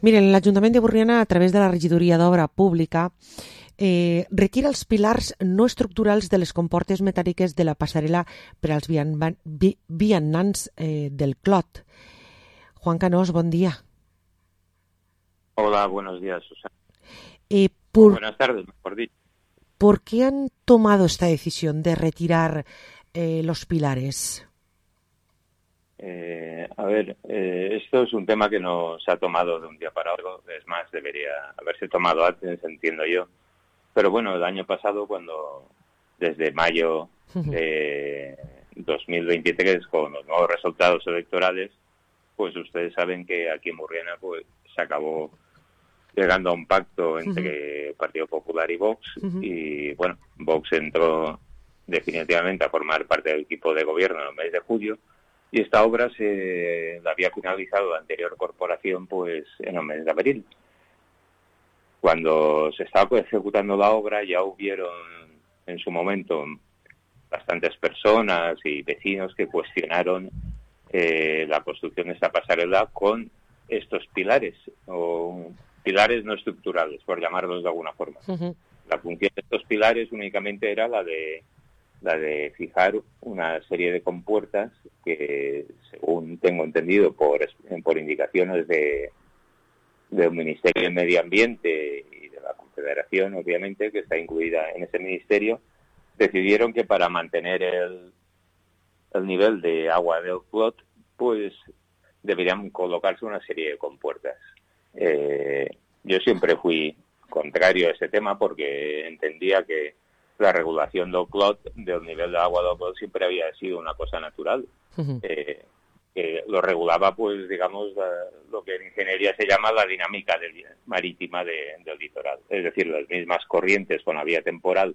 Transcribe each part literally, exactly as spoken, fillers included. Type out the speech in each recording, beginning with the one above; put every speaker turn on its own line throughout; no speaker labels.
Miren, l'Ajuntament de Borriana, a través de la regidoria d'Obra Pública, eh, retira els pilars no estructurals de les comportes metàl·liques de la passarel·la per als vian- vi- vianants eh, del Clot. Juan Canós, bon dia.
Hola, buenos días, Susana.
Eh, por,
Buenas tardes, mejor dicho.
¿Por qué han tomado esta decisión de retirar eh, los pilares?
Eh, a ver, eh, esto es un tema que no se ha tomado de un día para otro, es más, debería haberse tomado antes, entiendo yo. Pero bueno, el año pasado, cuando desde mayo de dos mil veintitrés, con los nuevos resultados electorales, pues ustedes saben que aquí en Borriana pues, se acabó llegando a un pacto entre uh-huh. Partido Popular y Vox, uh-huh. y bueno, Vox entró definitivamente a formar parte del equipo de gobierno en el mes de julio, y esta obra se la había finalizado la anterior corporación pues en el mes de abril. Cuando se estaba pues, ejecutando la obra, ya hubieron en su momento bastantes personas y vecinos que cuestionaron eh, la construcción de esta pasarela con estos pilares, o pilares no estructurales, por llamarlos de alguna forma. Uh-huh. La función de estos pilares únicamente era la de la de fijar una serie de compuertas que, según tengo entendido por, por indicaciones de del Ministerio de Medio Ambiente y de la Confederación, obviamente, que está incluida en ese ministerio, decidieron que para mantener el, el nivel de agua del Clot, pues deberían colocarse una serie de compuertas. Eh, yo siempre fui contrario a ese tema porque entendía que la regulación del Clot, del nivel de agua del Clot, siempre había sido una cosa natural. Uh-huh. Eh, que lo regulaba, pues, digamos, la, lo que en ingeniería se llama la dinámica del, marítima de, del litoral. Es decir, las mismas corrientes con la vía temporal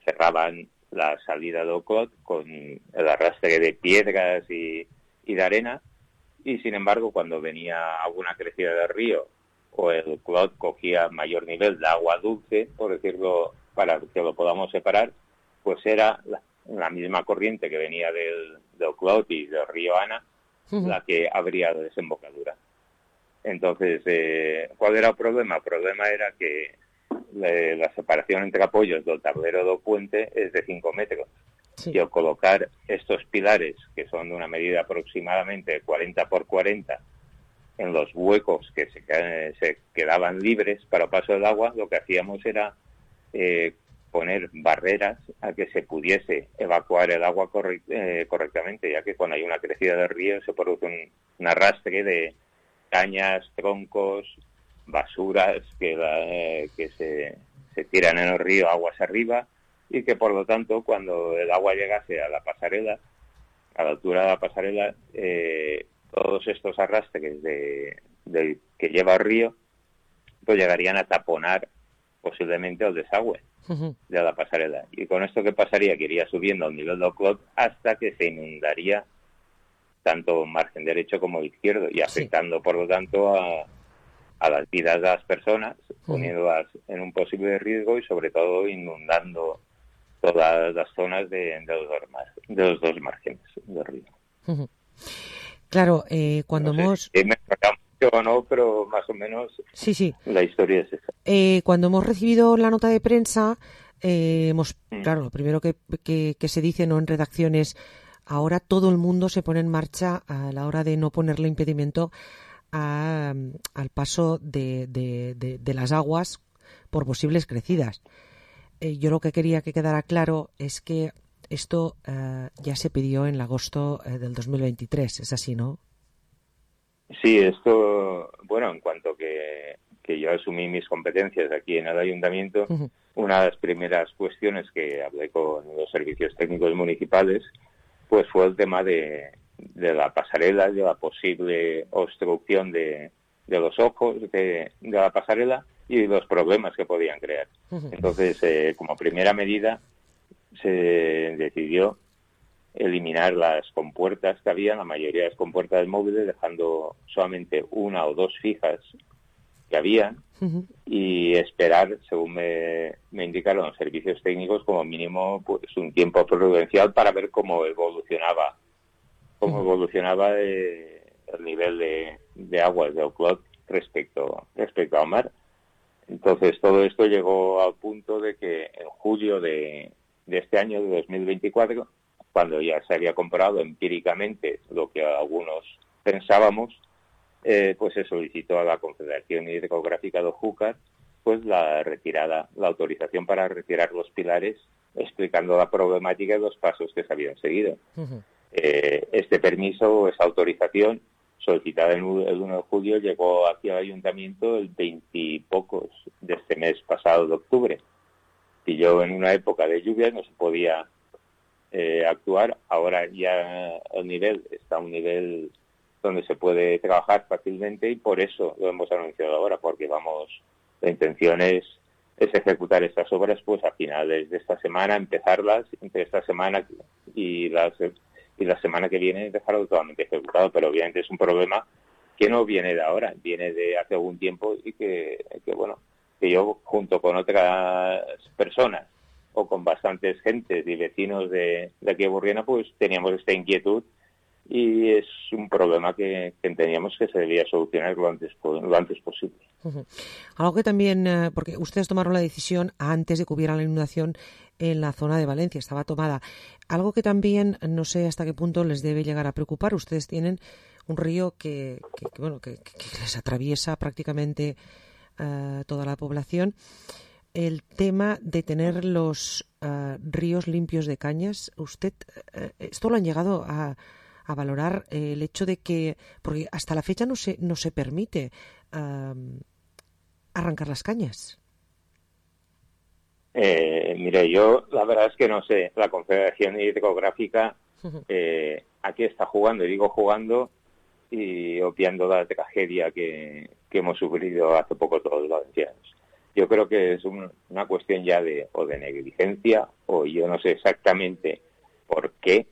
cerraban la salida del Clot con el arrastre de piedras y, y de arena, y sin embargo, cuando venía alguna crecida del río o el Clot cogía mayor nivel de agua dulce, por decirlo, para que lo podamos separar, pues era la, la misma corriente que venía del, del Clot y del río Ana, uh-huh. la que abría la desembocadura. Entonces, eh, ¿cuál era el problema? El problema era que le, la separación entre apoyos del tablero del puente es de cinco metros. Sí. Y al colocar estos pilares, que son de una medida aproximadamente cuarenta por cuarenta, en los huecos que se, se quedaban libres para el paso del agua, lo que hacíamos era eh, poner barreras a que se pudiese evacuar el agua correct, eh, correctamente, ya que cuando hay una crecida del río se produce un, un arrastre de cañas, troncos, basuras que, la, eh, que se, se tiran en el río aguas arriba, y que por lo tanto cuando el agua llegase a la pasarela, a la altura de la pasarela, eh, todos estos arrastres de, de, que lleva el río pues llegarían a taponar posiblemente el desagüe uh-huh. de la pasarela. Y con esto, ¿qué pasaría? Que iría subiendo al nivel del Clot hasta que se inundaría tanto margen derecho como izquierdo, y afectando sí. por lo tanto a, a las vidas de las personas, uh-huh. poniéndolas en un posible riesgo y sobre todo inundando todas las zonas de, de, los, dos mar, de los dos márgenes del río.
Uh-huh. Claro, eh, cuando
no sé,
hemos...
Eh, me mucho o no, pero más o menos
sí, sí.
la historia es esa.
Eh, cuando hemos recibido la nota de prensa, eh, hemos, mm. claro, lo primero que, que, que se dice, ¿no?, en redacciones, ahora todo el mundo se pone en marcha a la hora de no ponerle impedimento a, al paso de, de, de, de las aguas por posibles crecidas. Eh, yo lo que quería que quedara claro es que esto uh, ya se pidió en agosto uh, del dos mil veintitrés, ¿es así, no?
Sí, esto, bueno, en cuanto que, que yo asumí mis competencias aquí en el ayuntamiento, uh-huh. una de las primeras cuestiones que hablé con los servicios técnicos municipales, pues fue el tema de, de la pasarela, de la posible obstrucción de, de los ojos de, de la pasarela y los problemas que podían crear. Uh-huh. Entonces, eh, como primera medida, se decidió eliminar las compuertas que había, la mayoría de las compuertas móviles, dejando solamente una o dos fijas que había, uh-huh. y esperar, según me, me indicaron los servicios técnicos, como mínimo pues un tiempo prudencial para ver cómo evolucionaba cómo uh-huh. evolucionaba eh, el nivel de, de aguas del Clot respecto respecto al mar. Entonces todo esto llegó al punto de que en julio de, de este año, de dos mil veinticuatro, cuando ya se había comprobado empíricamente lo que algunos pensábamos, eh, pues se solicitó a la Confederación Hidrográfica de Júcar pues la retirada, la autorización para retirar los pilares, explicando la problemática y los pasos que se habían seguido. Uh-huh. Eh, este permiso, esa autorización, solicitada el uno de julio, llegó aquí al ayuntamiento el veintipocos de este mes pasado de octubre. Y yo, en una época de lluvia, no se podía eh, actuar. Ahora ya el nivel está a un nivel donde se puede trabajar fácilmente, y por eso lo hemos anunciado ahora, porque vamos, la intención es, es ejecutar estas obras pues a finales de esta semana, empezarlas entre esta semana y las y la semana que viene dejarlo totalmente ejecutado. Pero obviamente es un problema que no viene de ahora, viene de hace algún tiempo, y que, que bueno, que yo junto con otras personas o con bastantes gentes y vecinos de, de aquí de Burriana pues teníamos esta inquietud, y es un problema que, que entendíamos que se debía solucionar lo antes, lo antes posible.
Uh-huh. Algo que también, eh, porque ustedes tomaron la decisión antes de que hubiera la inundación en la zona de Valencia, estaba tomada. Algo que también, no sé hasta qué punto les debe llegar a preocupar. Ustedes tienen un río que, que, que bueno, que, que les atraviesa prácticamente uh, toda la población. El tema de tener los uh, ríos limpios de cañas, usted, uh, esto lo han llegado a a valorar, eh, el hecho de que, porque hasta la fecha no se no se permite uh, arrancar las cañas.
Eh, mire, yo la verdad es que no sé, la Confederación Hidrográfica eh, aquí está jugando, y digo jugando y obviando la tragedia que, que hemos sufrido hace poco todos los valencianos. Yo creo que es un, una cuestión ya de o de negligencia, o yo no sé exactamente por qué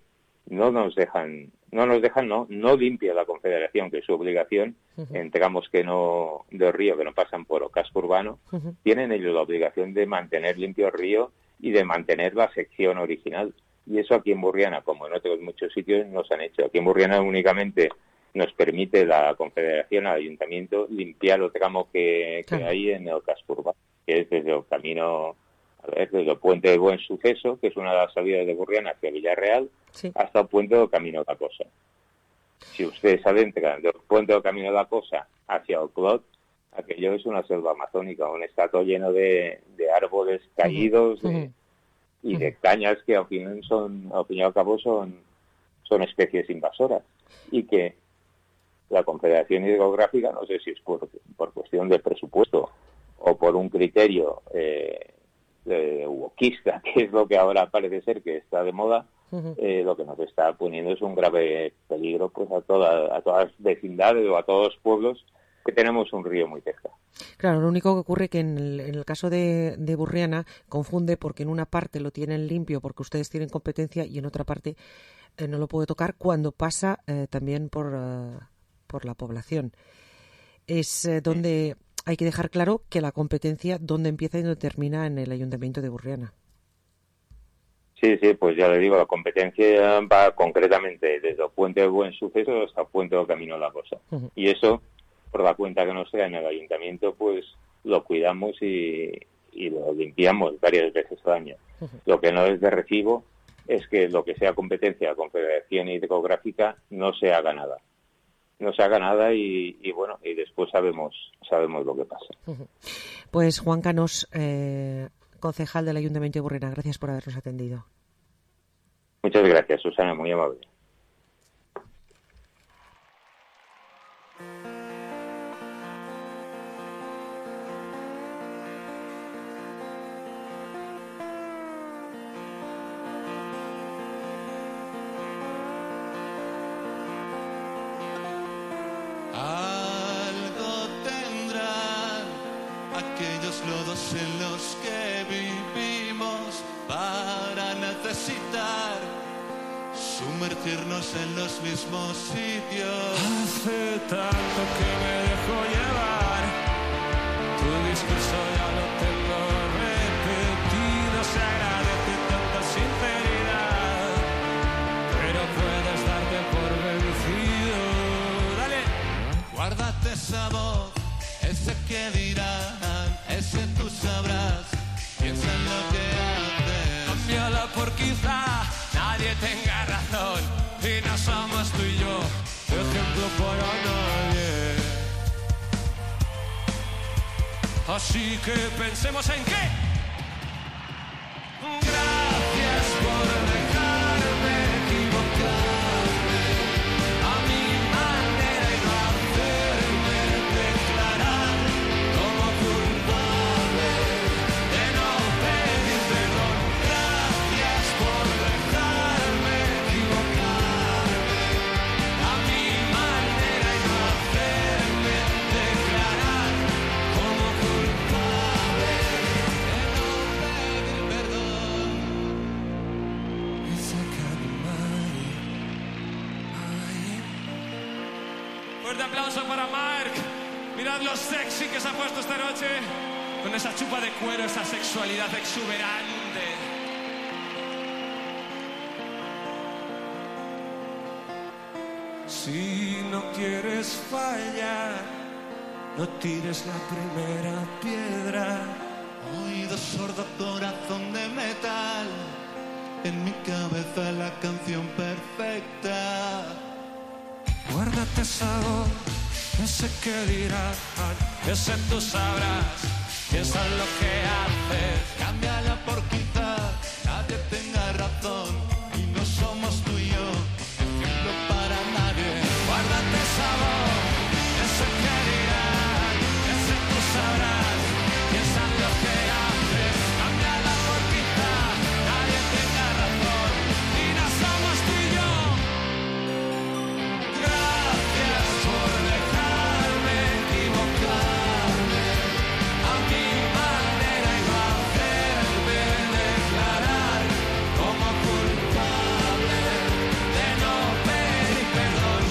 no nos dejan, no nos dejan, no, no limpia la Confederación, que es su obligación, uh-huh. en tramos que no, del río que no pasan por el casco urbano, uh-huh. tienen ellos la obligación de mantener limpio el río y de mantener la sección original. Y eso aquí en Burriana, como en otros muchos sitios, nos han hecho. Aquí en Burriana únicamente nos permite la Confederación, al Ayuntamiento, limpiar el tramo que, que uh-huh. hay en el casco urbano, que es desde el camino, a ver, desde el puente de Buen Suceso, que es una de las salidas de Burriana hacia Villarreal, sí. hasta el puente del Camino de la Cosa. Si ustedes adentran del puente del Camino de la Cosa hacia el Clot, aquello es una selva amazónica, un estado lleno de, de árboles caídos uh-huh. de, y uh-huh. de cañas que al fin son, al fin y al cabo son, son especies invasoras, y que la Confederación Hidrográfica, no sé si es por, por cuestión de presupuesto o por un criterio eh, de wokista, que es lo que ahora parece ser que está de moda, uh-huh. eh, lo que nos está poniendo es un grave peligro pues a, toda, a todas las vecindades o a todos los pueblos que tenemos un río muy cerca.
Claro, lo único que ocurre que en el, en el caso de, de Burriana confunde, porque en una parte lo tienen limpio porque ustedes tienen competencia, y en otra parte eh, no lo puede tocar cuando pasa eh, también por, uh, por la población. Es eh, donde... Sí. Hay que dejar claro que la competencia dónde empieza y dónde termina en el Ayuntamiento de Burriana.
Sí, sí, pues ya le digo, la competencia va concretamente desde el puente de Buen Suceso hasta el puente del Camino de la Cosa. Uh-huh. Y eso, por la cuenta que nos da en el Ayuntamiento, pues lo cuidamos y, y lo limpiamos varias veces al año. Uh-huh. Lo que no es de recibo es que lo que sea competencia de la Confederación Hidrográfica no se haga nada. No se haga nada y, y bueno, y después sabemos sabemos lo que pasa.
Pues Juan Canós, eh, concejal del Ayuntamiento de Burriana, gracias por habernos atendido.
Muchas gracias, Susana, muy amable.
Lodos en los que vivimos para necesitar sumergirnos en los mismos sitios. Hace tanto que me dejo llevar, tu discurso ya lo tengo repetido, se agradece tanta sinceridad, pero puedes darte por vencido. Dale, guárdate esa voz, ese que que dirán, ese tú sabrás. Piensa en lo que haces. Cámbiala por quizá nadie tenga razón y no somos tú y yo ejemplo para nadie. Así que pensemos en qué. Gracias por dejarme equivocarme a mi manera y no hacerme declarar como culpable de no pedir perdón. Gracias por dejarme equivocarme a mi manera y no hacerme declarar como culpable de no pedir perdón. It's a kind of money. Fuerte aplauso para Marc. Mirad lo sexy que se ha puesto esta noche con esa chupa de cuero, esa sexualidad exuberante. Si no quieres fallar, no tires la primera piedra. Oído sordo, corazón de metal. En mi cabeza la canción perfecta. Guárdate esa voz, ese que dirán, ese tú sabrás. Piensa en lo que haces. Cámbiala por quizá nadie tenga razón y no somos tú y yo ejemplo para nadie. Guárdate esa voz, ese que dirán, ese tú sabrás. Piensa en lo que haces. Cámbiala por quizá nadie tenga razón y no somos tú y yo. Gracias por dejarme equivocarme a mi manera y no hacerme declarar como culpable de no pedir perdón.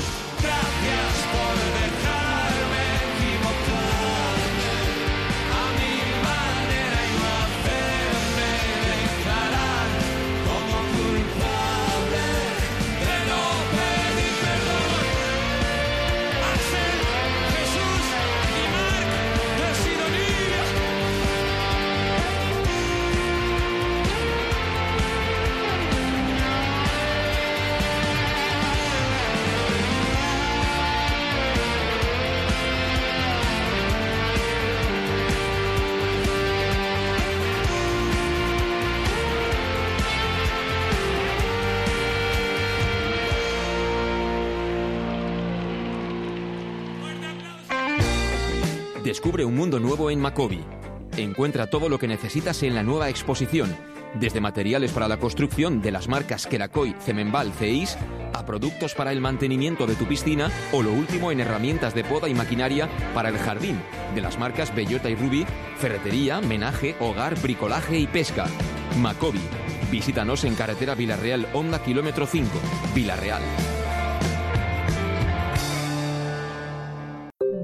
Gracias por dejarme equivocarme a mi manera y no hacerme declarar como culpable de no pedir perdón. Axel, Jesús y Marc de Sidonia.
Descubre un mundo nuevo en Macobi. Encuentra todo lo que necesitas en la nueva exposición, desde materiales para la construcción de las marcas Kerakoy, Cemenbal, Ceis, a productos para el mantenimiento de tu piscina o lo último en herramientas de poda y maquinaria para el jardín, de las marcas Bellota y Ruby, ferretería, menaje, hogar, bricolaje y pesca. Macobi. Visítanos en carretera Vilareal, Honda, kilómetro cinco, Vilareal.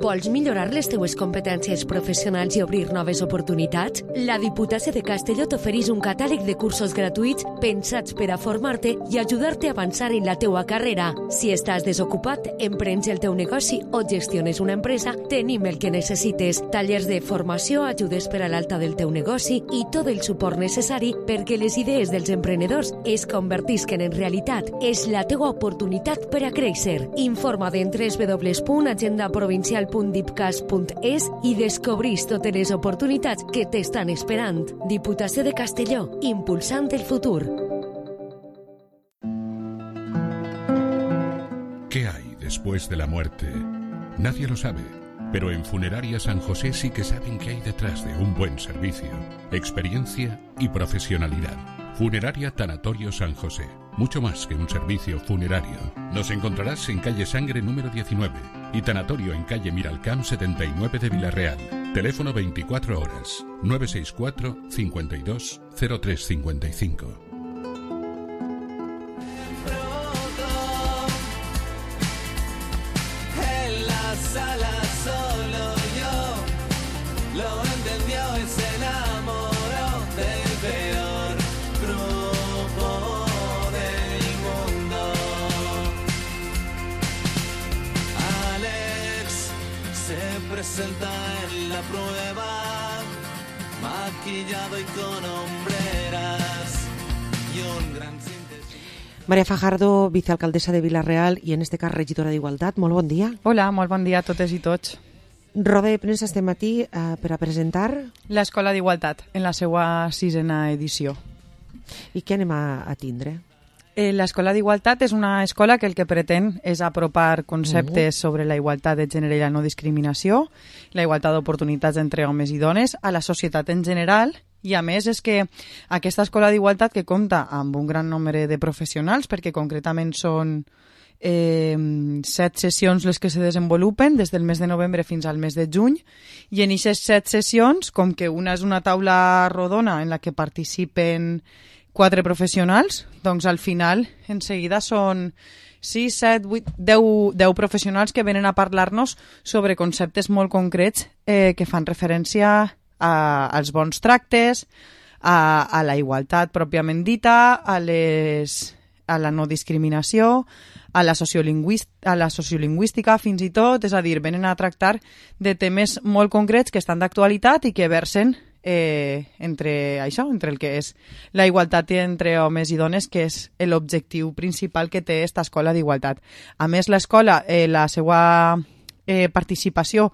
Vols millorar les teues competències professionals i obrir noves oportunitats? La Diputació de Castelló t'ofereix un catàleg de cursos gratuïts pensats per a formar-te i ajudar-te a avançar en la teua carrera. Si estàs desocupat, emprens el teu negoci o gestiones una empresa, tenim el que necessites. Tallers de formació, ajudes per a l'alta del teu negoci i tot el suport necessari perquè les idees dels emprenedors es convertisquen en realitat. És la teua oportunitat per a créixer. Informa't en w w w punt agenda provincial punt dipcas punt es i descobrís totes les oportunitats que t'estan esperant. Diputació de Castelló, impulsant el futur.
¿Qué hay después de la muerte? Nadie lo sabe, pero en Funeraria San José sí que saben qué hay detrás de un buen servicio, experiencia y profesionalidad. Funeraria Tanatorio San José, mucho más que un servicio funerario. Nos encontrarás en calle Sangre número diecinueve y Tanatorio en calle Miralcamp setenta y nueve de Vilarreal. Teléfono veinticuatro horas, nueve seis cuatro, cincuenta y dos, cero tres cincuenta y cinco.
En la sala solo yo lo entendió y se enamoró del peor grupo del mundo. Alex se presentó
presenta en la prueba, maquillado y con hombreras y un gran síntesis.
Maria Fajardo, vicealcaldessa de Vila-real i en este cas regidora d'Igualtat. Molt bon dia.
Hola, molt bon dia a totes i tots.
Roda de premsa este matí eh, per a presentar...
l'Escola d'Igualtat, en la seva sisena edició.
I què anem a, a tindre?
Eh, L'Escola d'Igualtat és una escola que el que pretén és apropar conceptes sobre la igualtat de gènere i la no discriminació, la igualtat d'oportunitats entre homes i dones, a la societat en general, i a més és que aquesta escola d'igualtat que compta amb un gran nombre de professionals, perquè concretament són eh, set sessions les que se desenvolupen des del mes de novembre fins al mes de juny, i en aquestes set sessions, com que una és una taula rodona en la que participen quatre professionals, doncs al final en seguida són sis, set, vuit, deu, deu professionals que venen a parlar-nos sobre conceptes molt concrets eh, que fan referència a, als bons tractes, a, a la igualtat pròpiament dita, a, les, a la no discriminació, a la, a la sociolingüística fins i tot, és a dir, venen a tractar de temes molt concrets que estan d'actualitat i que versen Eh, entre això, entre el que és la igualtat entre homes i dones, que és l'objectiu principal que té aquesta escola d'igualtat. A més, l'escola, eh, la seva eh, participació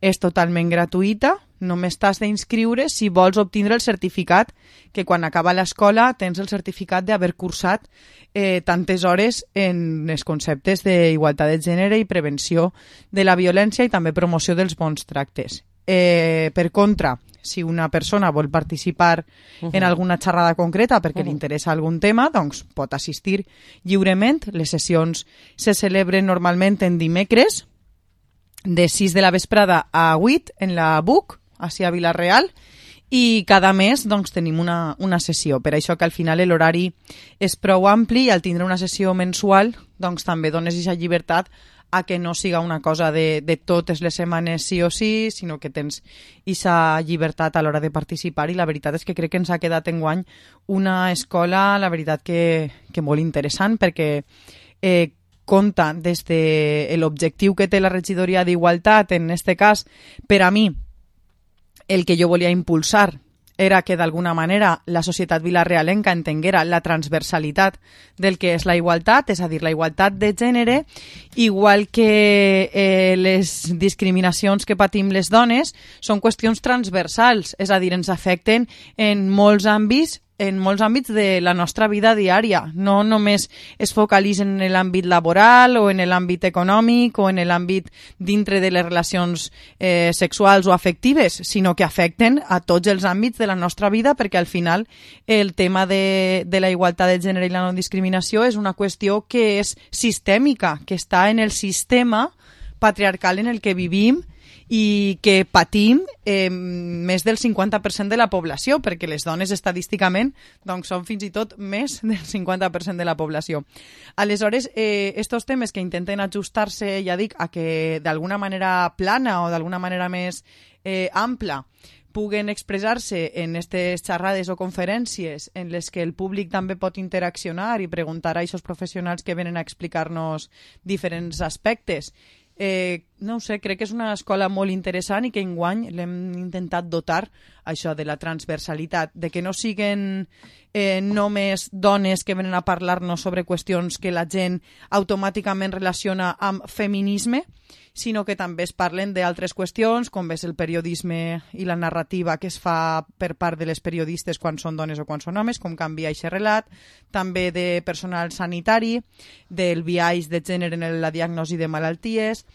és totalment gratuïta, només t'has d'inscriure si vols obtindre el certificat, que quan acaba l'escola tens el certificat d'haver cursat eh, tantes hores en els conceptes d'igualtat de gènere i prevenció de la violència i també promoció dels bons tractes. Eh, per contra, si una persona vol participar uh-huh. en alguna xerrada concreta perquè uh-huh. li interessa algun tema, doncs pot assistir lliurement. Les sessions se celebren normalment en dimecres de sis de la vesprada a vuit en la B U C, així a Vila-real, i cada mes doncs, tenim una, una sessió. Per això que al final l'horari és prou ampli i al tindre una sessió mensual doncs, també dones aquesta llibertat a que no siga una cosa de, de totes les setmanes sí o sí, sinó que tens aquesta llibertat a l'hora de participar, i la veritat és que crec que ens ha quedat enguany una escola, la veritat que, que molt interessant, perquè eh, compta des de l'objectiu que té la regidoria d'Igualtat, en este cas, per a mi, el que jo volia impulsar era que d'alguna manera la societat vilarealenca entenguera la transversalitat del que és la igualtat, és a dir, la igualtat de gènere, igual que eh, les discriminacions que patim les dones són qüestions transversals, és a dir, ens afecten en molts àmbits en molts àmbits de la nostra vida diària. No només es focalitzen en l'àmbit laboral o en l'àmbit econòmic o en l'àmbit dintre de les relacions eh, sexuals o afectives, sinó que afecten a tots els àmbits de la nostra vida, perquè al final el tema de, de la igualtat de gènere i la no discriminació és una qüestió que és sistèmica, que està en el sistema patriarcal en el que vivim i que patim eh, més del cinquanta per cent de la població, perquè les dones estadísticament doncs, són fins i tot més del cinquanta per cent de la població. Aleshores, eh, estos temes que intenten ajustar-se, ja dic, a que d'alguna manera plana o d'alguna manera més eh, ampla puguen expressar-se en aquestes xerrades o conferències en les que el públic també pot interaccionar i preguntar a aquests professionals que venen a explicar-nos diferents aspectes. Eh, no ho sé, crec que és una escola molt interessant i que enguany l'hem intentat dotar això de la transversalitat, de que no siguen eh, només dones que venen a parlar-nos sobre qüestions que la gent automàticament relaciona amb feminisme, sinó que també es parlen d'altres qüestions, com és el periodisme i la narrativa que es fa per part de les periodistes quan són dones o quan són homes, com canvia aquest relat, també de personal sanitari, del biaix de gènere en la diagnosi de malalties,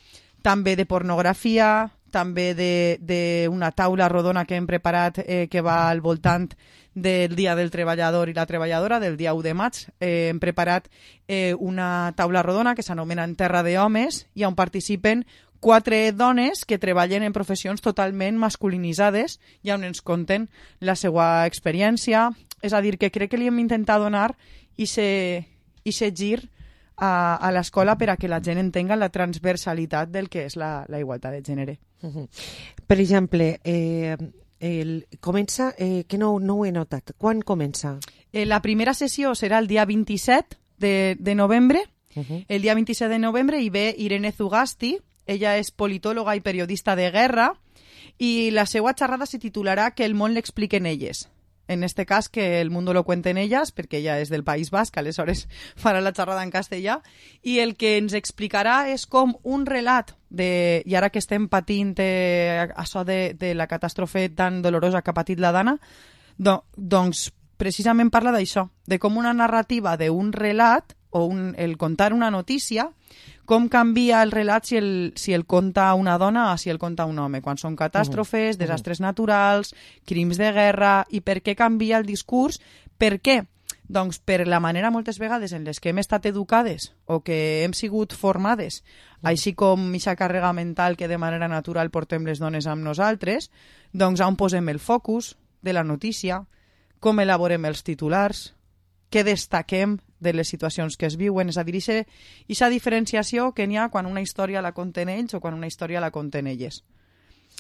també de pornografia, també d'una taula rodona que hem preparat eh, que va al voltant del Dia del Treballador i la Treballadora, del dia u de maig. Eh, hem preparat eh, una taula rodona que s'anomena En terra d'homes i on participen quatre dones que treballen en professions totalment masculinitzades i on ens conten la seva experiència. És a dir, que crec que li hem intentat donar aquest gir a, a l'escola per a que la gent entenga la transversalitat del que és la, la igualtat de gènere.
Uh-huh. Per exemple, eh, el, comença, eh, que no, no ho he notat, quan comença?
Eh, la primera sessió serà el dia vint-i-set de, de novembre. Uh-huh. El dia vint-i-set de novembre hi ve Irene Zugasti, Ella és politòloga i periodista de guerra i la seva xerrada se titularà Que el món l'expliquen elles. En este cas, que el mundo lo cuenten ellas, perquè ella és del País Basc, aleshores farà la xerrada en castellà, i el que ens explicarà és com un relat, de, i ara que estem patint eh, això de, de la catàstrofe tan dolorosa que ha patit la Dana, do, doncs precisament parla d'això, de com una narrativa d'un relat, o un, el contar una notícia, com canvia el relat si el, si el conta una dona o si el conta un home, quan són catàstrofes, desastres naturals, crims de guerra, i per què canvia el discurs? Per què? Doncs per la manera moltes vegades en les que hem estat educades o que hem sigut formades, així com aquesta càrrega mental que de manera natural portem les dones amb nosaltres, doncs on posem el focus de la notícia, com elaborem els titulars, què destaquem de les situacions que es viuen, és a dir, aquesta diferenciació que n'hi ha quan una història la conten ells o quan una història la conten elles.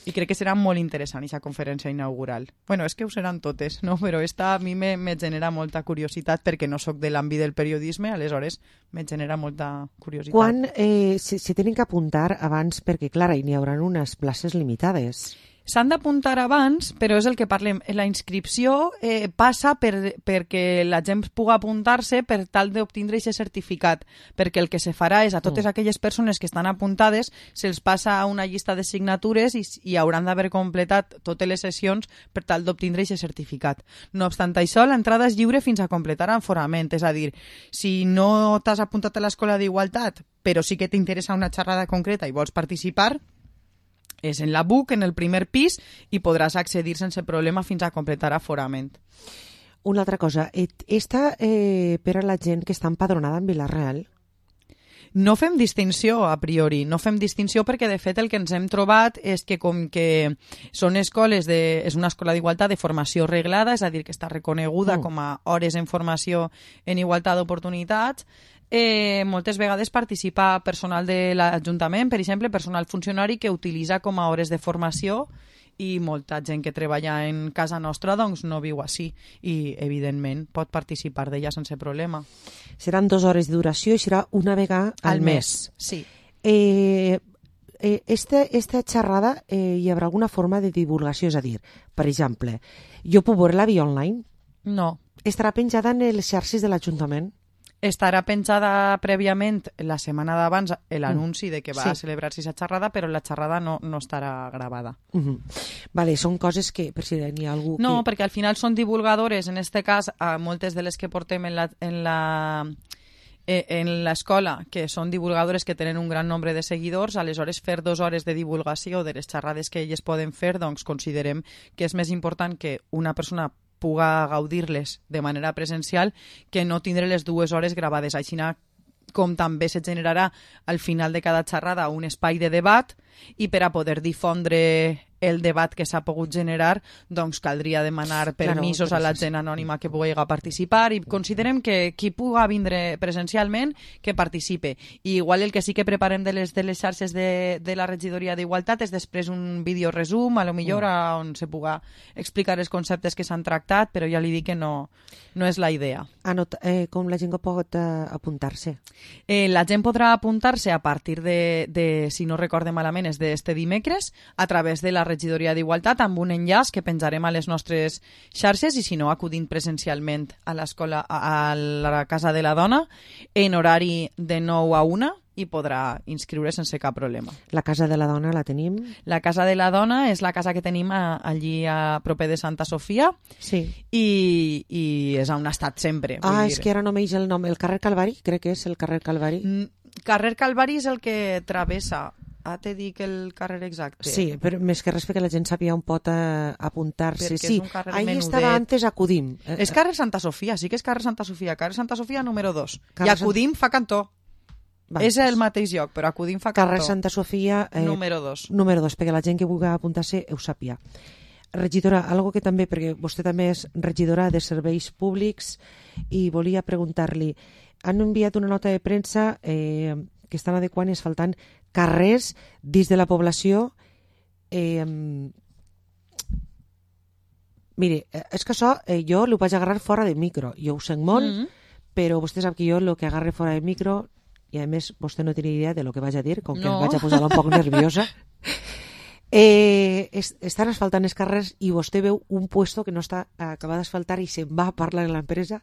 I crec que serà molt interessant aquesta conferència inaugural. Bueno, és que ho seran totes, no? Però esta a mi me, me genera molta curiositat perquè no sóc de l'àmbit del periodisme, aleshores me genera molta curiositat.
Quan eh, se, se tenen que apuntar abans? Perquè, clar, hi haurà unes places limitades.
S'han d'apuntar abans, però és el que parlem. La inscripció eh, passa per, perquè la gent pugui apuntar-se per tal d'obtindre aquest certificat, perquè el que se farà és a totes aquelles persones que estan apuntades se'ls passa a una llista de signatures i, i hauran d'haver completat totes les sessions per tal d'obtindre aquest certificat. No obstant això, l'entrada és lliure fins a completar enforament, és a dir, si no t'has apuntat a l'Escola d'Igualtat, però sí que t'interessa una xerrada concreta i vols participar, és en la B U C, en el primer pis, i podràs accedir sense problema fins a completar aforament.
Una altra cosa, esta eh, per a la gent que està empadronada en Vila-real?
No fem distinció a priori, no fem distinció perquè de fet el que ens hem trobat és que com que són escoles de, és una escola d'igualtat de formació reglada, és a dir, que està reconeguda mm. com a hores en formació en igualtat d'oportunitats, Eh, moltes vegades participa personal de l'Ajuntament, per exemple, personal funcionari que utilitza com a hores de formació, i molta gent que treballa en casa nostra doncs no viu així i evidentment pot participar d'ella sense problema.
Seran dues hores de duració i serà una vegada al,
al mes.
mes.
Sí.
Eh, eh, esta, esta xerrada eh, hi haurà alguna forma de divulgació? És a dir, per exemple, jo puc veure-la via online?
No.
Estarà penjada en les xarxes de l'Ajuntament?
Estarà penjada prèviament la setmana d'abans l'anunci de que va sí. celebrar-se aquesta xerrada, però la xerrada no, no estarà gravada.
Uh -huh. Vale, són coses que, per si n'hi ha algú...
No,
que...
perquè al final són divulgadores, en este cas, a moltes de les que portem en la... En la en l'escola, que són divulgadores que tenen un gran nombre de seguidors, aleshores fer dues hores de divulgació de les xerrades que elles poden fer, doncs considerem que és més important que una persona puga gaudir-les de manera presencial que no tindre les dues hores gravades. Així com també se generarà al final de cada xerrada un espai de debat i per a poder difondre el debat que s'ha pogut generar, doncs caldria demanar permisos claro, a la gent anònima que pugui participar i considerem que qui puga vindre presencialment que participe. I igual el que sí que preparem de les, de les xarxes de, de la regidoria d'Igualtat és després un vídeo resum, a lo millor mm. on se puga explicar els conceptes que s'han tractat, però ja li dic que no, no és la idea.
Anot, eh, com la gent pot eh, apuntar-se?
Eh, la gent podrà apuntar-se a partir de, de si no recorde malament, és d'este dimecres, a través de la regidoria d'Igualtat amb un enllaç que penjarem a les nostres xarxes i si no acudint presencialment a l'escola, a la Casa de la Dona en horari de nou a una i podrà inscriure sense cap problema.
La Casa de la Dona la tenim?
La Casa de la Dona és la casa que tenim a, allí a proper de Santa Sofia
sí.
i, i és on ha estat sempre.
Ah,
dir.
És que ara no m'eix el nom. El carrer Calvari? Crec que és el carrer Calvari.
Mm, carrer Calvari és el que travessa. Ah, te dic el carrer exacte.
Sí, però més que res perquè la gent sàpiga on pot eh, apuntar-se.
Perquè
sí, ahí menudet. Estava antes Acudim.
És carrer Santa Sofia, sí que és carrer Santa Sofia. Carrer Santa Sofia número dos. Carrer I Acudim Sant... fa cantó. Va, és el mateix lloc, però Acudim fa cantó.
Carrer Santa Sofia...
Eh, número dos.
Número dos, perquè la gent que vulgui apuntar-se ho sàpiga. Regidora, algo que també, perquè vostè també és regidora de serveis públics i volia preguntar-li, han enviat una nota de premsa eh, que estan adequant i asfaltant carrers dins de la població. Eh, mire, és que això eh, jo l'ho vaig agarrar fora de micro. Jo ho sent molt, mm -hmm. però vostè sap que jo el que agarre fora de micro i a més vostè no té ni idea de lo que vaig a dir, com que
No.
em vaig a posar un poc nerviosa. Eh, es, estan asfaltant els carrers i vostè veu un puesto que no està acabat d'asfaltar i se'n va a parlar amb l'empresa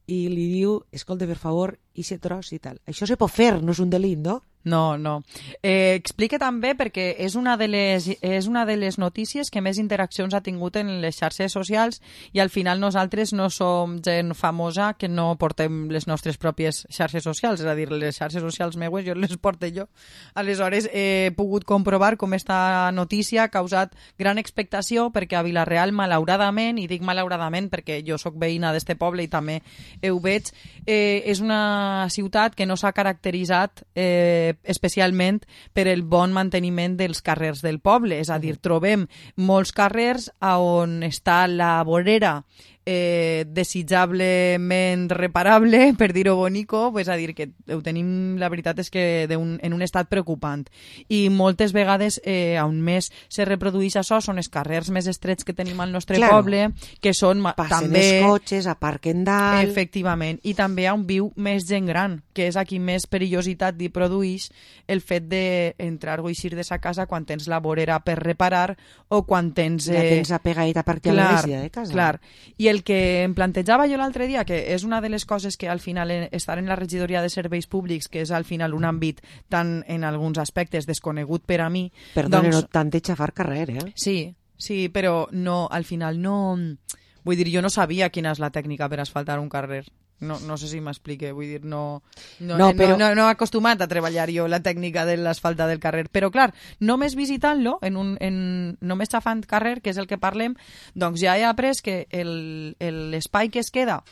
i li diu, escolta, per favor, i se tros i tal. Això se pot fer, no és un delit, no?
No, no. Eh, explique també perquè és una, de les, és una de les notícies que més interaccions ha tingut en les xarxes socials i al final nosaltres no som gent famosa que no portem les nostres pròpies xarxes socials, és a dir, les xarxes socials meues jo les porto jo. Aleshores he pogut comprovar com esta notícia ha causat gran expectació perquè a Vila-real, malauradament, i dic malauradament perquè jo sóc veïna d'este poble i també ho veig, eh, és una ciutat que no s'ha caracteritzat eh, especialment per el bon manteniment dels carrers del poble, és a dir, trobem molts carrers on està la vorera eh, desitjablement reparable, per dir-ho bonico, és a dir, que ho tenim, la veritat és que un, en un estat preocupant. I moltes vegades eh, on més se reprodueix això són els carrers més estrets que tenim al nostre
Claro.
poble, que són
Passen
també...
els cotxes, aparquen dalt...
Efectivament, i també on viu més gent gran, que és a qui més perillositat li produeix el fet d'entrar o eixir de sa casa quan tens la vorera per reparar o quan tens...
Ja tens apegadita per aquí a la vecina de casa.
Clar, i el que em plantejava jo l'altre dia, que és una de les coses que al final en, estar en la regidoria de serveis públics, que és al final un àmbit tan en alguns aspectes desconegut per a mi...
Perdona,
doncs,
no tant de xafar carrer, eh?
Sí, sí, però no, al final no... Vull dir, jo no sabia quina és la tècnica per asfaltar un carrer. No, no sé si m'explique, vull dir, no, no,
No,
no,
però-
no, no he acostumat a treballar jo la tècnica de l'asfalta del carrer, però clar, només visitant-lo, en un, en, només xafant carrer, que és el que parlem, doncs ja he après que el- el- l'espai que es queda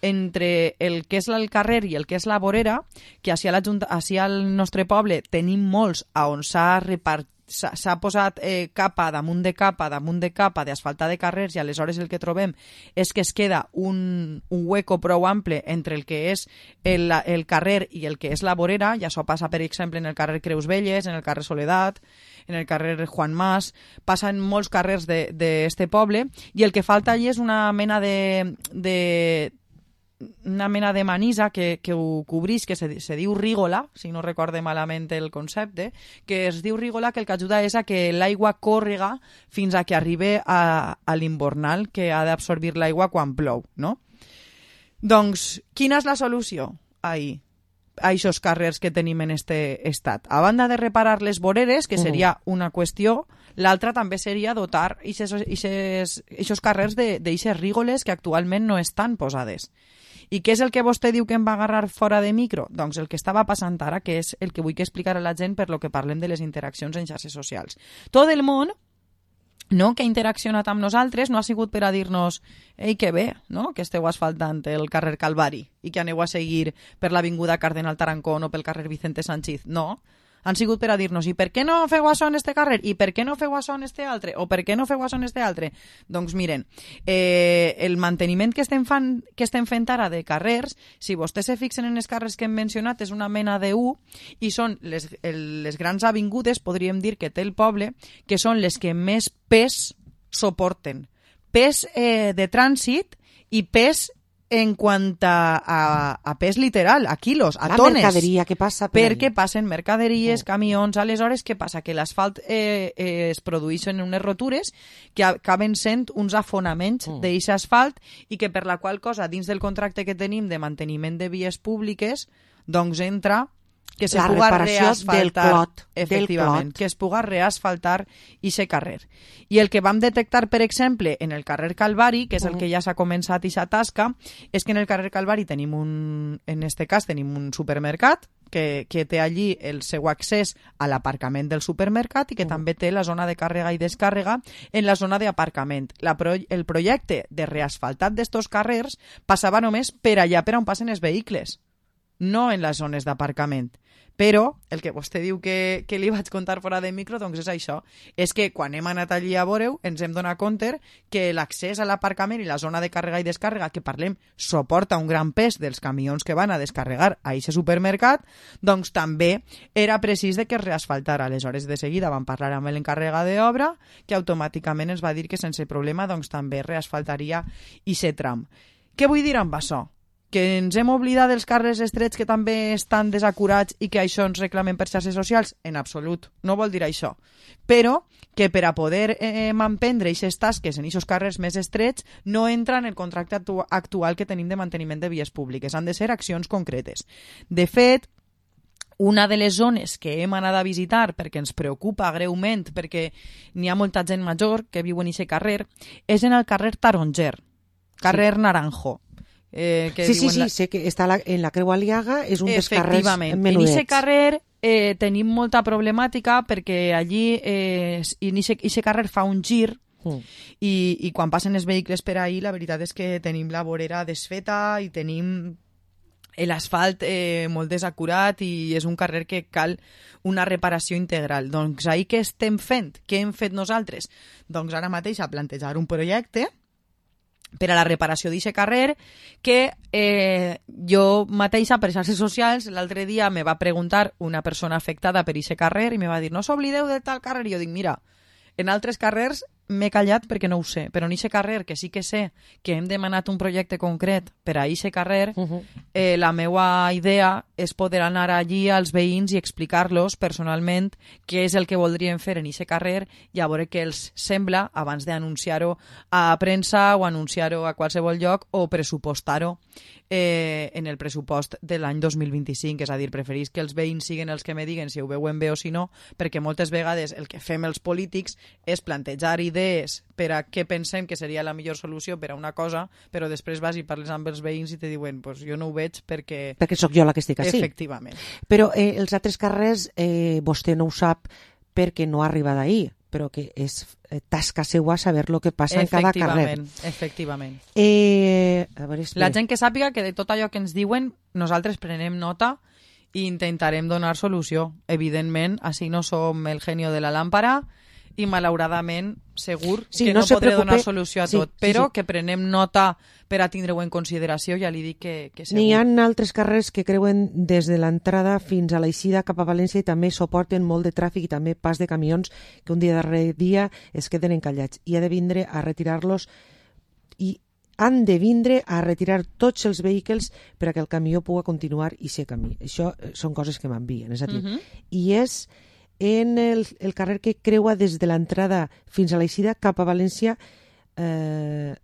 entre el que és el carrer i el que és la vorera, que així, a la Junta, així al nostre poble tenim molts a on s'ha repartit s'ha s'ha posat eh, capa damunt de capa damunt de capa d'asfaltar de carrers i aleshores el que trobem és que es queda un, un hueco prou ample entre el que és el, el carrer i el que és la vorera, i això passa per exemple en el carrer Creus Velles, en el carrer Soledat, en el carrer Juan Mas, passa en molts carrers d'este poble, i el que falta allí és una mena de, de una mena de manisa que, que ho cobrís, que se, se diu rígola, si no recorde malament el concepte, que es diu rígola, que el que ajuda és a que l'aigua còrrega fins a que arribi a, a l'imbornal, que ha d'absorbir l'aigua quan plou, no? Doncs, quina és la solució ahí? A aquests carrers que tenim en este estat. A banda de reparar les voreres, que seria una qüestió, l'altra també seria dotar aquests carrers d'eixes rígoles que actualment no estan posades. I què és el que vostè diu que em va agarrar fora de micro? Doncs el que estava passant ara, que és el que vull que explicar a la gent per lo que parlem de les interaccions en xarxes socials. Tot el món, no, que ha interaccionat amb nosaltres no ha sigut per a dir-nos ei, que bé, no?, que esteu asfaltant el carrer Calvari i que aneu a seguir per l'avinguda Cardenal Tarancón o pel carrer Vicente Sanchiz. No, han sigut per a dir-nos i per què no feu això en este carrer? I per què no feu això en este altre? O per què no feu això en este altre? Doncs miren, eh, el manteniment que estem, fan, que estem fent ara de carrers, si vostès se fixen en els carrers que hem mencionat, és una mena de U i són les, el, les grans avingudes, podríem dir, que té el poble, que són les que més pes suporten. Pes eh, de trànsit i pes en quant a, a, a pes literal, a quilos, a
la
tones.
La mercaderia que passa per
Perquè
allí.
passen mercaderies, oh. camions, aleshores què passa? Que l'asfalt eh, eh, es produeixen unes rotures que acaben sent uns afonaments oh. d'aquest asfalt i que per la qual cosa, dins del contracte que tenim de manteniment de vies públiques, doncs entra que se
la
puga
reparació
reasfaltar,
del clot,
efectivament,
del clot.
que es puga reasfaltar ixe carrer. I el que vam detectar, per exemple, en el carrer Calvari, que és el que ja s'ha començat ixa tasca, és que en el carrer Calvari tenim un, en este cas tenim un supermercat que, que té allí el seu accés a l'aparcament del supermercat i que uh. també té la zona de càrrega i descàrrega en la zona d'aparcament. La pro, el projecte de reasfaltat d'estos carrers passava només per allà per on passen els vehicles, no en les zones d'aparcament. Però el que vostè diu que, que li vaig contar fora de micro, doncs és això. És que quan hem anat allí a veure-ho ens hem donat compte que l'accés a l'aparcament i la zona de càrrega i descàrrega, que parlem, suporta un gran pes dels camions que van a descarregar a aquest supermercat, doncs també era precís de que es reasfaltara. Aleshores, de seguida vam parlar amb l'encarregat d'obra, que automàticament ens va dir que sense problema doncs també reasfaltaria aquest tram. Què vull dir amb això? Que ens hem oblidat dels carrers estrets que també estan desacurats i que això ens reclamen per xarxes socials? En absolut, no vol dir això. Però que per a poder eh, manprendre aquestes tasques en aquests carrers més estrets no entra en el contracte actu actual que tenim de manteniment de vies públiques. Han de ser accions concretes. De fet, una de les zones que hem anat a visitar perquè ens preocupa greument, perquè n'hi ha molta gent major que viu en aquest carrer, és en el carrer Taronger, carrer sí. Naranjo. Eh, que
sí, sí, sí,
la...
sé que està la, en la Creu Aliaga, és un dels carrers menudets.
En aquest carrer eh, tenim molta problemàtica perquè allí eh, en aquest carrer fa un gir mm. i, i quan passen els vehicles per ahí la veritat és que tenim la vorera desfeta i tenim l'asfalt eh, molt desacurat i és un carrer que cal una reparació integral. Doncs ahí què estem fent? Què hem fet nosaltres? Doncs ara mateix a plantejar un projecte per a la reparació d'aquest carrer que eh, jo mateixa per xarxes socials l'altre dia me va preguntar una persona afectada per aquest carrer i me va dir no s'oblideu de tal carrer i jo dic mira, en altres carrers m'he callat perquè no ho sé, però en aquest carrer que sí que sé que hem demanat un projecte concret per a aquest carrer, uh -huh. eh, la meva idea és poder anar allí als veïns i explicar-los personalment què és el que voldrien fer en aquest carrer i a veure què els sembla abans d'anunciar-ho a premsa o anunciar-ho a qualsevol lloc o pressupostar-ho eh, en el pressupost de l'any dos mil vint-i-cinc, és a dir, preferís que els veïns siguin els que me diguen si ho veuen bé o si no, perquè moltes vegades el que fem els polítics és plantejar idees per a què pensem que seria la millor solució per a una cosa, però després vas i parles amb els veïns i te diuen pues jo no ho veig perquè...
Perquè sóc jo la que estic així.
Efectivament.
Però eh, els altres carrers eh, vostè no ho sap perquè no arriba d'ahir, però que és eh, tasca seua saber el que passa en cada carrer.
Efectivament.
Eh, a veure,
la gent que sàpiga que de tot allò que ens diuen nosaltres prenem nota i intentarem donar solució. Evidentment, així no som el genio de la làmpara i malauradament segur
sí,
que
no,
no
se
podré
preocupe.
donar solució a
sí,
tot, però
sí, sí.
que prenem nota per a tindre-ho en consideració, ja li dic que, que segur.
N'hi ha altres carrers que creuen des de l'entrada fins a l'eixida cap a València i també suporten molt de tràfic i també pas de camions que un dia darrere dia es queden encallats i ha de vindre a retirar-los i han de vindre a retirar tots els vehicles per a que el camió pugui continuar i ser camí. Això són coses que m'envien, és a dir, uh -huh. i és en el, el carrer que creua des de l'entrada fins a l'eixida cap a València. Eh,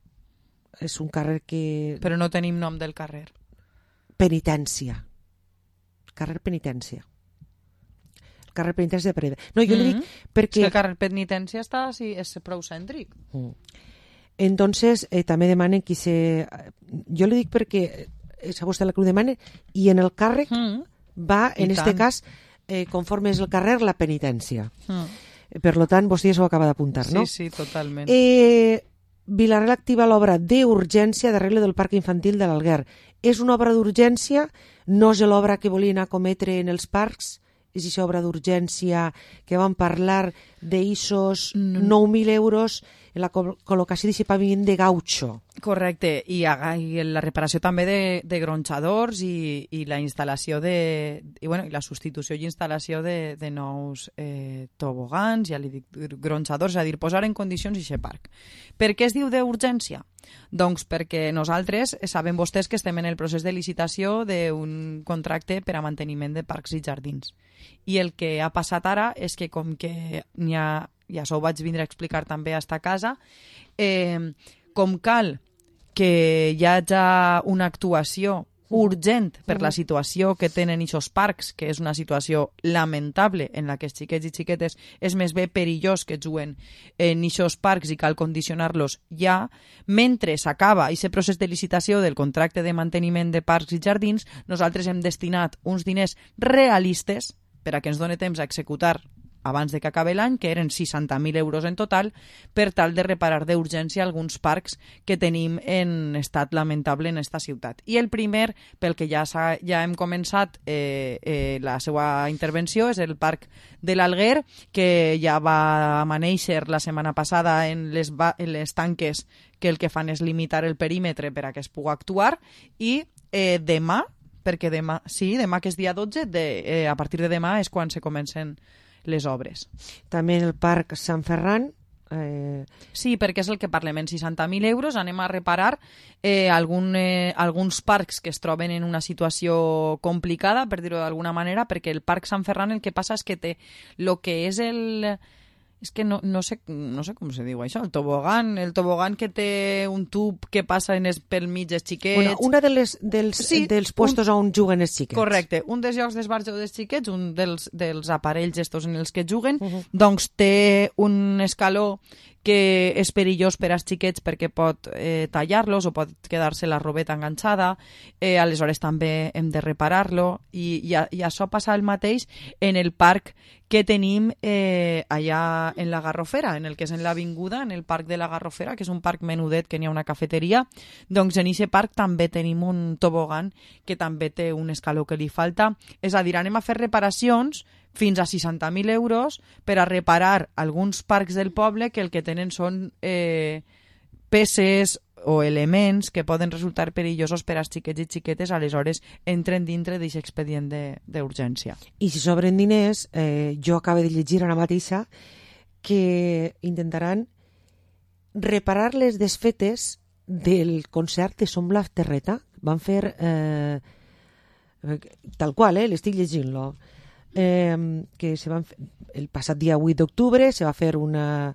és un carrer que...
Però no tenim nom del carrer.
Penitència. Carrer Penitència. El carrer Penitència de Pereda. No, jo mm -hmm. li dic perquè...
És que el carrer Penitència està, sí, és prou cèntric.
Mm. Entonces, eh, també demanen qui se... Jo li dic perquè és a vostè la que ho demana i en el càrrec mm. va, en aquest cas, eh, conforme és el carrer, la penitència. Mm. Per lo tant, vostè ja s'ho acaba d'apuntar, no?
Sí, sí, totalment.
Eh... Vilareal activa l'obra d'urgència d'arregle del parc infantil de l'Alguer. És una obra d'urgència, no és l'obra que volien acometre en els parcs, és aquesta obra d'urgència que vam parlar d'eixos no. nou mil euros en la col·locació d'aquest paviment de gaucho.
Correcte, i, i la reparació també de, de gronxadors i, i la instal·lació de... I, bueno, i la substitució i instal·lació de, de nous eh, tobogans, ja li dic, gronxadors, és a dir, posar en condicions aquest parc. Per què es diu d'urgència? Doncs perquè nosaltres sabem vostès que estem en el procés de licitació d'un contracte per a manteniment de parcs i jardins. I el que ha passat ara és que com que n'hi ha, ja això ho vaig vindre a explicar també a esta casa, eh, com cal que hi hagi una actuació urgent per la situació que tenen aquests parcs, que és una situació lamentable en la que els xiquets i xiquetes és més bé perillós que juguen en aquests parcs i cal condicionar-los ja, mentre s'acaba aquest procés de licitació del contracte de manteniment de parcs i jardins, nosaltres hem destinat uns diners realistes per a que ens doni temps a executar abans de que acabi l'any, que eren seixanta mil euros en total, per tal de reparar d'urgència alguns parcs que tenim en estat lamentable en esta ciutat. I el primer, pel que ja, ja hem començat eh, eh, la seva intervenció, és el Parc de l'Alguer, que ja va amanèixer la setmana passada en les, en les tanques que el que fan és limitar el perímetre per a que es pugui actuar, i eh, demà, perquè demà, sí, demà que és dia dotze, de, eh, a partir de demà és quan se comencen les obres.
També el Parc Sant Ferran, Eh...
Sí, perquè és el que parlem. En seixanta mil euros anem a reparar eh, algun, eh, alguns parcs que es troben en una situació complicada, per dir-ho d'alguna manera, perquè el Parc Sant Ferran el que passa és que té el que és el... És que no, no, sé, no sé com se diu això, el tobogan, el tobogan que té un tub que passa en es, pel mig dels xiquets...
Bueno, una de les, dels,
sí,
dels puestos
un,
on juguen els xiquets.
Correcte, un dels llocs d'esbarjo dels xiquets, un dels, dels aparells estos en els que juguen, uh -huh. doncs té un escaló que és perillós per als xiquets perquè pot eh, tallar-los o pot quedar-se la robeta enganxada, eh, aleshores també hem de reparar-lo i, i, i això passa el mateix en el parc que tenim eh, allà en la Garrofera, en el que és en l'avinguda, en el parc de la Garrofera, que és un parc menudet que n'hi ha una cafeteria, doncs en aquest parc també tenim un tobogan que també té un escaló que li falta. És a dir, anem a fer reparacions fins a seixanta mil euros per a reparar alguns parcs del poble que el que tenen són eh, peces o elements que poden resultar perillosos per als xiquets i xiquetes, aleshores entren dintre d'aquest expedient d'urgència.
I si sobren diners, eh, jo acabo de llegir ara mateixa que intentaran reparar les desfetes del concert de Som la Terreta. Van fer eh, tal qual, eh, l'estic llegint-lo. Eh, que se van fer, el passat dia vuit d'octubre se va fer una,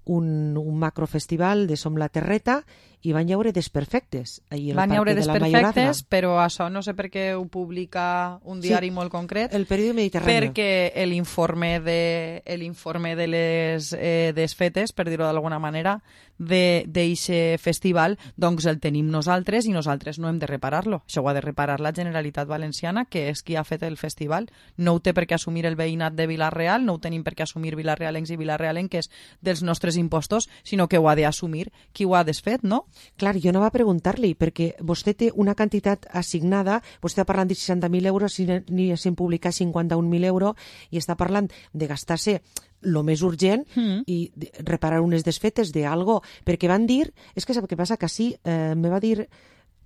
un, un macrofestival de Som la Terreta i van llaure Desperfectes.
Van llaure Desperfectes, però això no sé per què ho publica un diari sí, molt concret.
El Periòdic Mediterrani.
Perquè l'informe de, l'informe de les eh, desfetes, per dir-ho d'alguna manera, d'aquest festival, doncs el tenim nosaltres i nosaltres no hem de reparar-lo. Això ho ha de reparar la Generalitat Valenciana, que és qui ha fet el festival. No ho té per què assumir el veïnat de Vila-real, no ho tenim per què assumir vilarealencs i vilarealenques dels nostres impostos, sinó que ho ha d'assumir qui ho ha desfet, no?
Clar, jo no va preguntar-li, perquè vostè té una quantitat assignada, vostè està parlant de seixanta mil euros i ni s'han publicat cinquanta-un mil euros i està parlant de gastar-se lo més urgent mm. i reparar unes desfetes d'algo, perquè van dir, és que sap què passa, que sí, eh, me va dir,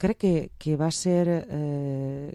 crec que, que va ser eh,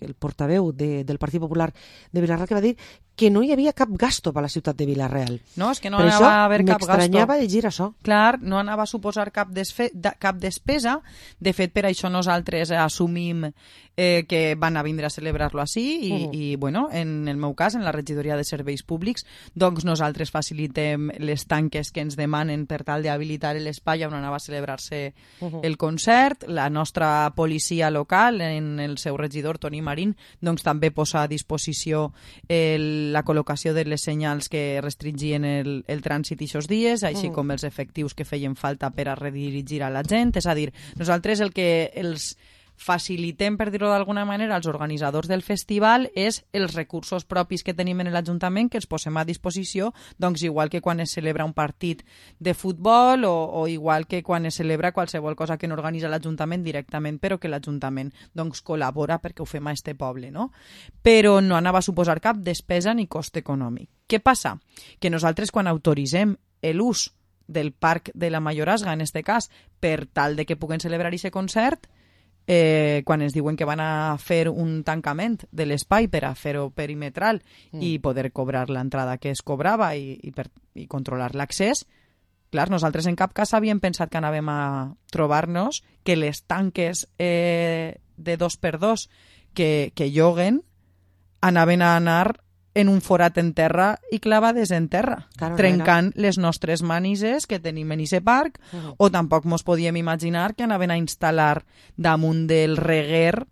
el portaveu de, del Partit Popular de Vila-real, que va dir que no hi havia cap gasto per a la ciutat de Vila-real.
No, és que no per anava a haver cap gasto.
M'estranyava llegir això.
Clar, no anava a suposar cap, desfe, cap despesa. De fet, per això nosaltres assumim eh, que van a vindre a celebrar-lo així i, uh -huh. i, bueno, en el meu cas, en la regidoria de serveis públics, doncs nosaltres facilitem les tanques que ens demanen per tal d'habilitar l'espai on anava a celebrar-se uh -huh. el concert. La nostra policia local, en el seu regidor, Toni Marín, doncs també posa a disposició el la col·locació de les senyals que restringien el, el trànsit aquests dies, així com els efectius que feien falta per a redirigir a la gent. És a dir, nosaltres el que els facilitem, per dir-ho d'alguna manera, als organitzadors del festival és els recursos propis que tenim en l'Ajuntament, que els posem a disposició, doncs igual que quan es celebra un partit de futbol o, o igual que quan es celebra qualsevol cosa que no organitza l'Ajuntament directament, però que l'Ajuntament doncs, col·labora perquè ho fem a este poble, no? Però no anava a suposar cap despesa ni cost econòmic. Què passa? Que nosaltres quan autoritzem l'ús del Parc de la Mayorazga, en este cas, per tal de que puguen celebrar aquest concert, Eh, quan ens diuen que van a fer un tancament de l'espai per a fer-ho perimetral mm. i poder cobrar l'entrada que es cobrava i, i, per, i controlar l'accés, clar, nosaltres en cap cas havíem pensat que anàvem a trobar-nos que les tanques eh, de dos per dos que, que lloguen anaven a anar en un forat en terra i clavades en terra, claro, trencant era. les nostres manises que tenim en aquest parc, uh -huh. o tampoc mos podíem imaginar que anaven a instal·lar damunt del reguer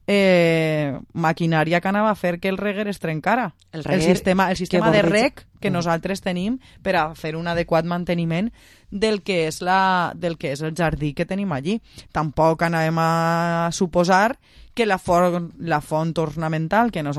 eh, maquinària que anava a fer que el reguer es trencara. El, reguer, el sistema, el sistema de rec que uh -huh. nosaltres tenim per a fer un adequat manteniment del que és, la, del que és el jardí que tenim allí. Tampoc anàvem a suposar que la font, la font ornamental que nosaltres